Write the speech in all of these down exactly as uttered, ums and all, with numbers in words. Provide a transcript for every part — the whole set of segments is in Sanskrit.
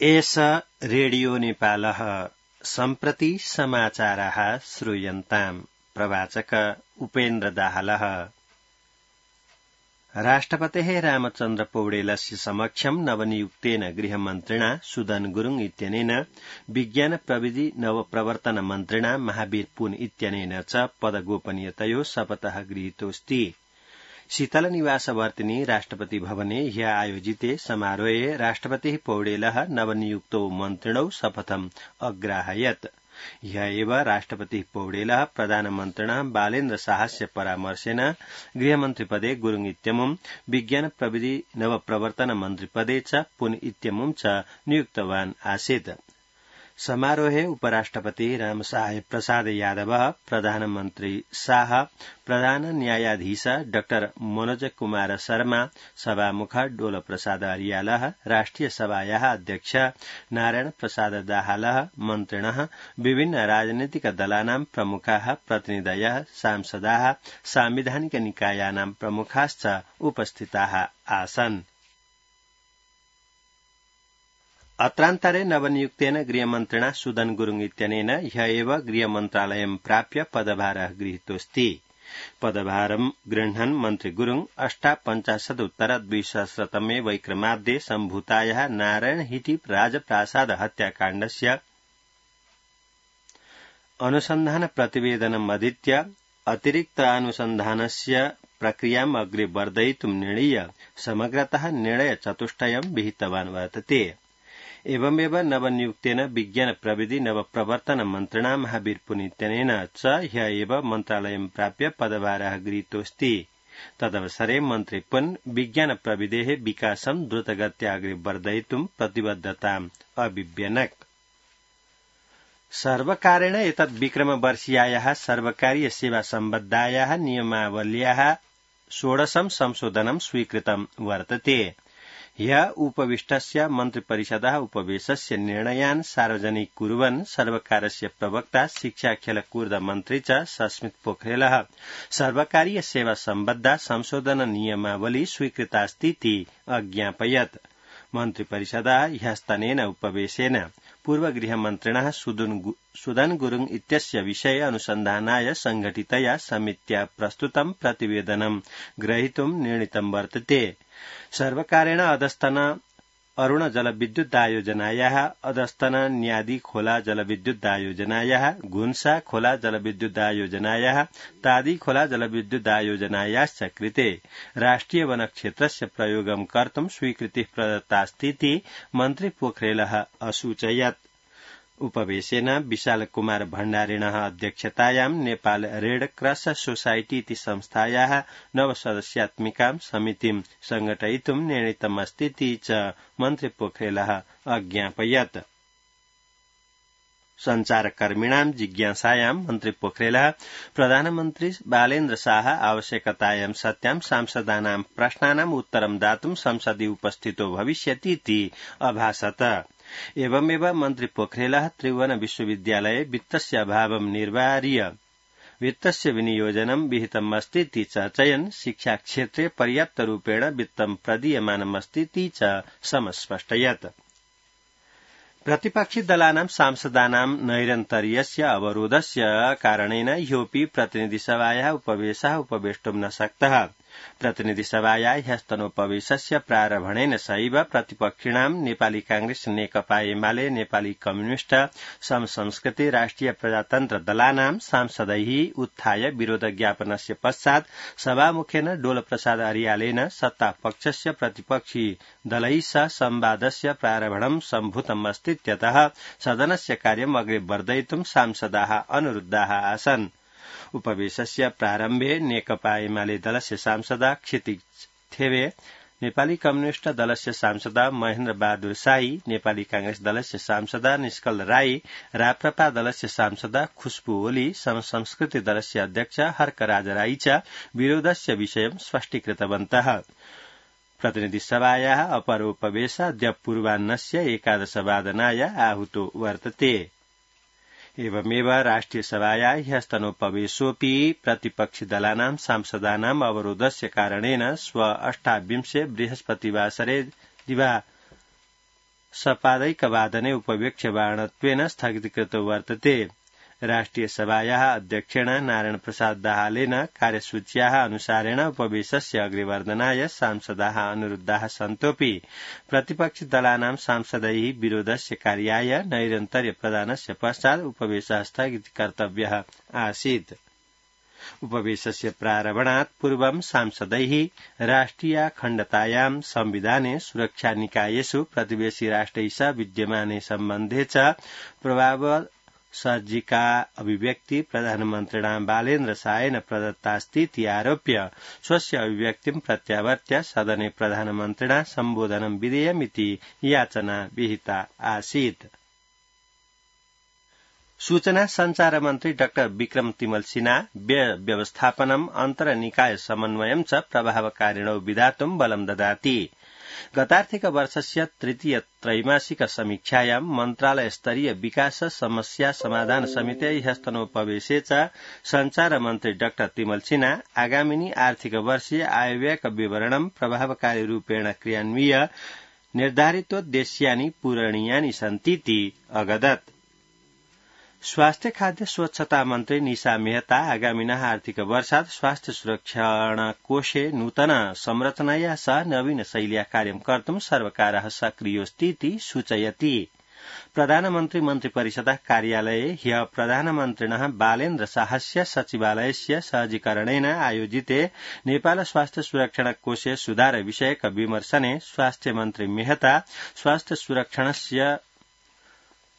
एष रेडियो नेपालः सम्प्रति समाचाराः श्रूयन्ताम्। प्रवाचक उपेन्द्र दाहालः। राष्ट्रपतेः रामचन्द्र पौडेलस्य समक्षं नवनियुक्तेन गृहमन्त्रिणा सुदन गुरुङ इत्यनेन विज्ञान प्रविधि नवप्रवर्तन मन्त्रिणा महावीर पुन इत्यनेन च पदगोपनीयतयो शपथः गृहीतोऽस्ति। शीतलनिवासवर्तिनि राष्ट्रपति भवने ह्य आयोजिते समारोहे राष्ट्रपतिः पौडेलः नवनियुक्तौ मन्त्रिणौ शपथम् अग्राहयत्। ह्य एव राष्ट्रपतिः पौडेलः प्रधानमन्त्रिणः बालेन्द्र शाहस्य परामर्शेन गृहमन्त्रिपदे गुरुङ इत्यमुं विज्ञान प्रविधि नवप्रवर्तन मन्त्रिपदे च पुन इत्यमुं च नियुक्तवान् आसीत्। समारोहे उपराष्ट्रपति रामसाहेब प्रसाद यादव, प्रधानमन्त्री शाह, प्रधान न्यायाधीश डाक्टर मनोज कुमार शर्मा, सभामुख डोल प्रसाद अर्यालः, राष्ट्रिय सभायाः अध्यक्ष नारायण प्रसाद दाहालः, मन्त्रिणः, विभिन्न राजनीतिक दलानां प्रमुखाः, प्रतिनिधयः, सांसदाः, सांविधानिक निकायानां प्रमुखाश्च उपस्थिताः आसन्। अत्रान्तरे नवनियुक्तेन गृहमन्त्रिणा सुदन गुरुङ इत्यनेन ह्य एव गृहमन्त्रालयं प्राप्य पदभारः गृहीतोऽस्ति। पदभारं गृह्णन् मन्त्री गुरुङ अष्टापञ्चाशदुत्तर द्विसहस्रतमे वैक्रमाब्दे सम्भूतायाः नारायण हिटी राजप्रासाद हत्याकाण्डस्य अनुसन्धान प्रतिवेदनम् अधीत्य अतिरिक्तानुसन्धानस्य प्रक्रियाम् अग्रे वर्धयितुं निर्णीय समग्रतः निर्णय चतुष्टयं विहितवान् वर्तते। एवमेव नवनियुक्तेन विज्ञान प्रविधि नवप्रवर्तन मन्त्रिणा महावीर पुन इत्यनेन च ह्य एव मन्त्रालयं प्राप्य पदभारः गृहीतोऽस्ति। तदवसरे मन्त्री पुन विज्ञान प्रविधेः विकासं द्रुतगत्या अग्रे वर्धयितुं प्रतिबद्धताम् अभिव्यनक्। सर्वकारेण एतद् विक्रमवर्षीयायाः सर्वकारीय सेवा सम्बद्धायाः नियमावल्याः षोडशं संशोधनं स्वीकृतं वर्तते। ह्य उपविष्टस्य मन्त्रिपरिषदः उपवेशस्य निर्णयान् सार्वजनिक कुर्वन् सर्वकारस्य प्रवक्ता शिक्षा खेलकूद मन्त्री च सस्मित पोखरेलः सर्वकारीय सेवा सम्बद्धा संशोधन नियमावली स्वीकृतास्तीति अज्ञापयत्। मन्त्रिपरिषदः ह्यस्तनेन उपवेशेन पूर्वगृहमन्त्रिणः सुदन गुरुङ इत्यस्य विषये अनुसन्धानाय संघटितया समित्या प्रस्तुतं प्रतिवेदनं ग्रहीतुं निर्णीतं वर्तते। सर्वकारेण अधस्तन अरुण जलविद्युदायोजनायाः, अधस्तन न्यादी खोला जलविद्युदायोजनायाः, घुन्सा खोला जलविद्युदायोजनायाः, तादी खोला जलविद्युदायोजनायाश्च कृते राष्ट्रिय वनक्षेत्रस्य प्रयोगं कर्तुं स्वीकृतिः प्रदत्तास्तीति मन्त्री पोखरेलः असूचयत्। उपवेशेन विशाल कुमार भण्डारिणः अध्यक्षतायां नेपाल रेड क्रॉस सोसाइटी इति संस्थायाः नवसदस्यात्मिकां समितिं संघटयितुं निर्णीतमस्तीति च मन्त्री पोखरेलः अज्ञापयत्। संचारकर्मिणां जिज्ञासायां मन्त्री पोखरेलः प्रधानमन्त्री बालेन्द्र शाह आवश्यकतायां सत्यां सांसदानां प्रश्नानाम् उत्तरं दातुं संसदि उपस्थितो भविष्यतीति अभाषत। एवमेव मन्त्री पोखरेलः त्रिभुवन विश्वविद्यालये वित्तस्य अभावं निर्वार्य वित्तस्य विनियोजनं विहितम् अस्तीति चर्चयन् शिक्षाक्षेत्रे पर्याप्तरूपेण वित्तं प्रदीयमानमस्तीति च समस्पष्टयत्। प्रतिपक्षि दलानां सांसदानां नैरन्तर्यस्य अवरोधस्य कारणेन ह्योऽपि प्रतिनिधिसभायाः उपवेशः उपवेष्टुं न शक्तः। प्रतिनिधिसभाया ह्यस्तनोपवेशस्य प्रारम्भणेन सैव प्रतिपक्षिणां नेपाली कांग्रेस, नेकपा एमाले, नेपाली कम्युनिष्ट, समसंस्कृति, राष्ट्रिय प्रजातन्त्र दलानां सांसदैः उत्थाय विरोध ज्ञापनस्य पश्चात् सभामुखेन डोल प्रसाद अर्यालेन सत्तापक्षस्य प्रतिपक्षी दलैः सह संवादस्य प्रारम्भणं सम्भूतम् अस्तीत्यतः सदनस्य कार्यम् अग्रे वर्धयितुं सांसदाः अनुरुद्धाः आसन्। उपवेशस्य प्रारम्भे नेकपा एमाले दलस्य सांसदा क्षितिज थेवे, नेपाली कम्युनिष्ट दलस्य सांसदा महेन्द्र बहादुर साई, नेपाली कांग्रेस दलस्य सांसदा निष्कल राई, राप्रपा दलस्य सांसदा खुशबु ओली, समसंस्कृति दलस्य अध्यक्ष हर्कराज राई च विरोधस्य विषयं स्पष्टीकृतवन्तः। प्रतिनिधिसभायाः अपरोपवेश अद्य पूर्वाह्नस्य एकादशवादनाय आहूतो वर्तते। एवमेव राष्ट्रियसभाया ह्यस्तनोपवेशोऽपि प्रतिपक्षिदलानां सांसदानाम् अवरोधस्य कारणेन श्व अष्टाविंशे बृहस्पतिवासरे दिवा सपादैकवादने उपवेक्ष्यमाणत्वेन स्थगितीकृतो वर्तते। राष्ट्रियसभायाः अध्यक्षेण नारायण प्रसाद दाहालेन कार्यसूच्याः अनुसारेण उपवेशस्य अग्रेवर्धनाय सांसदाः अनुरुद्धाः सन्तोऽपि प्रतिपक्षिदलानां सांसदैः विरोधस्य कार्याय नैरन्तर्य प्रदानस्य पश्चात् उपवेशः स्थगितकर्तव्यः आसीत्। उपवेशस्य प्रारम्भात् पूर्वं सांसदैः राष्ट्रियाखण्डतायां संविधाने सुरक्षानिकायेषु प्रतिवेशि राष्ट्रैः सह विद्यमाने सम्बन्धे च प्रभाव सर्जिका अभिव्यक्ति प्रधानमन्त्रिणा बालेन्द्र शाहेन प्रदत्तास्तीति आरोप्य स्वस्य अभिव्यक्तिं प्रत्यावर्त्य सदने प्रधानमन्त्रिणा सम्बोधनं विधेयमिति याचना विहिता आसीत्। सूचना संचार मन्त्री डाक्टर विक्रम तिमल सिन्हा व्यय व्यवस्थापनम् अन्तरनिकाय समन्वयं च प्रभावकारिणो विधातुं बलं ददाति। गतार्थिक वर्षस्य तृतीय त्रैमासिक समीक्षायां मन्त्रालय स्तरीय विकास समस्या समाधान समिते ह्यस्तनोपवेशे च संचार मन्त्री डाक्टर तिमल सिन्हा आगामिनी आर्थिक वर्षीय आयव्ययक विवरणं प्रभावकारी रूपेण क्रियान्वीय निर्धारितोद्देश्यानि पूरणीयानि सन्तीति अगदत्। स्वास्थ्य खाद्य स्वच्छता मन्त्री निशा मेहता आगामिनः आर्थिक वर्षात् स्वास्थ्य सुरक्षण कोषे नूतन संरचनया सह नवीन शैल्या कार्यं कर्तुं सर्वकारः सक्रियोऽस्तीति सूचयति। प्रधानमन्त्री मन्त्रिपरिषदः कार्यालये ह्यः प्रधानमन्त्रिणः बालेन्द्र शाहस्य सचिवालयस्य सहजीकरणेन आयोजिते नेपाल स्वास्थ्य सुरक्षण कोषे सुधार विषयक विमर्शने स्वास्थ्य मन्त्री मेहता स्वास्थ्य सुरक्षणस्य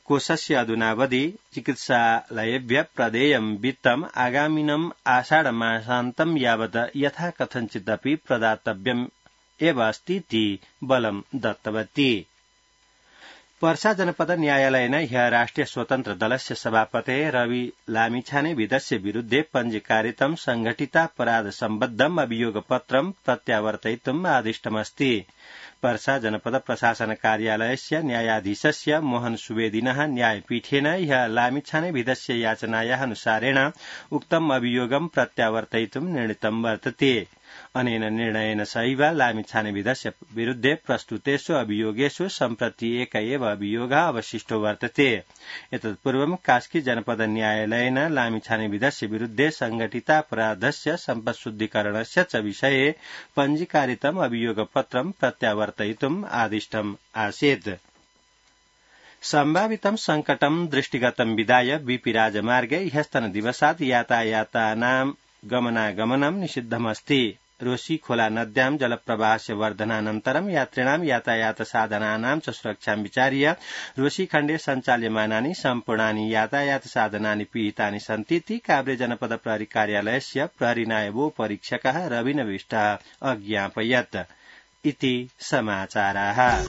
कोषस्य अधुनावधि चिकित्सालयेभ्यः प्रदेयं वित्तम् आगामिनम् आषाढमासान्तं यावत् यथाकथञ्चिदपि प्रदातव्यम् एव अस्तीति बलं दत्तवती। पर्सा जनपद न्यायालयेन ह्यः राष्ट्रिय स्वतन्त्र दलस्य सभापतेः रवि लामिछाने विदस्य विरुद्धे पञ्जीकारितं संघटितापराध सम्बद्धम् अभियोगपत्रं प्रत्यावर्तयितुम् आदिष्टमस्ति। पर्सा जनपद प्रशासन कार्यालयस्य न्यायाधीशस्य मोहन सुवेदिनः न्यायपीठेन ह्यः लामिछाने विदस्य याचनायाः अनुसारेण उक्तम् अभियोगं प्रत्यावर्तयितुं निर्णीतं वर्तते। अनेन निर्णयेन सहैव लामिछाने विदस्य विरुद्धे प्रस्तुतेषु अभियोगेषु सम्प्रति एक एव अभियोगः अवशिष्टो वर्तते। एतत्पूर्वं कास्की जनपद न्यायालयेन लामिछाने विदस्य विरुद्धे संघटितापराधस्य सम्पत्शुद्धीकरणस्य च विषये पञ्जीकारितम् अभियोगपत्रं प्रत्यावर्तयितुम् आदिष्टम् आसीत्। सम्भावितं संकटं दृष्टिगतं विधाय बीपी राजमार्गे ह्यस्तनदिवसात् यातायातानां गमनागमनं निषिद्धमस्ति। रोशी खोला नद्यां जलप्रवाहस्य वर्धनानन्तरं यात्रिणां यातायात साधनानां च सुरक्षां विचार्य रोशी खण्डे सञ्चाल्यमानानि सम्पूर्णानि यातायात साधनानि पिहितानि सन्तीति काभ्रे जनपद प्रहरी कार्यालयस्य प्रहरी नायबोपरीक्षकः रविनविष्टः अज्ञापयत्। इति समाचाराः।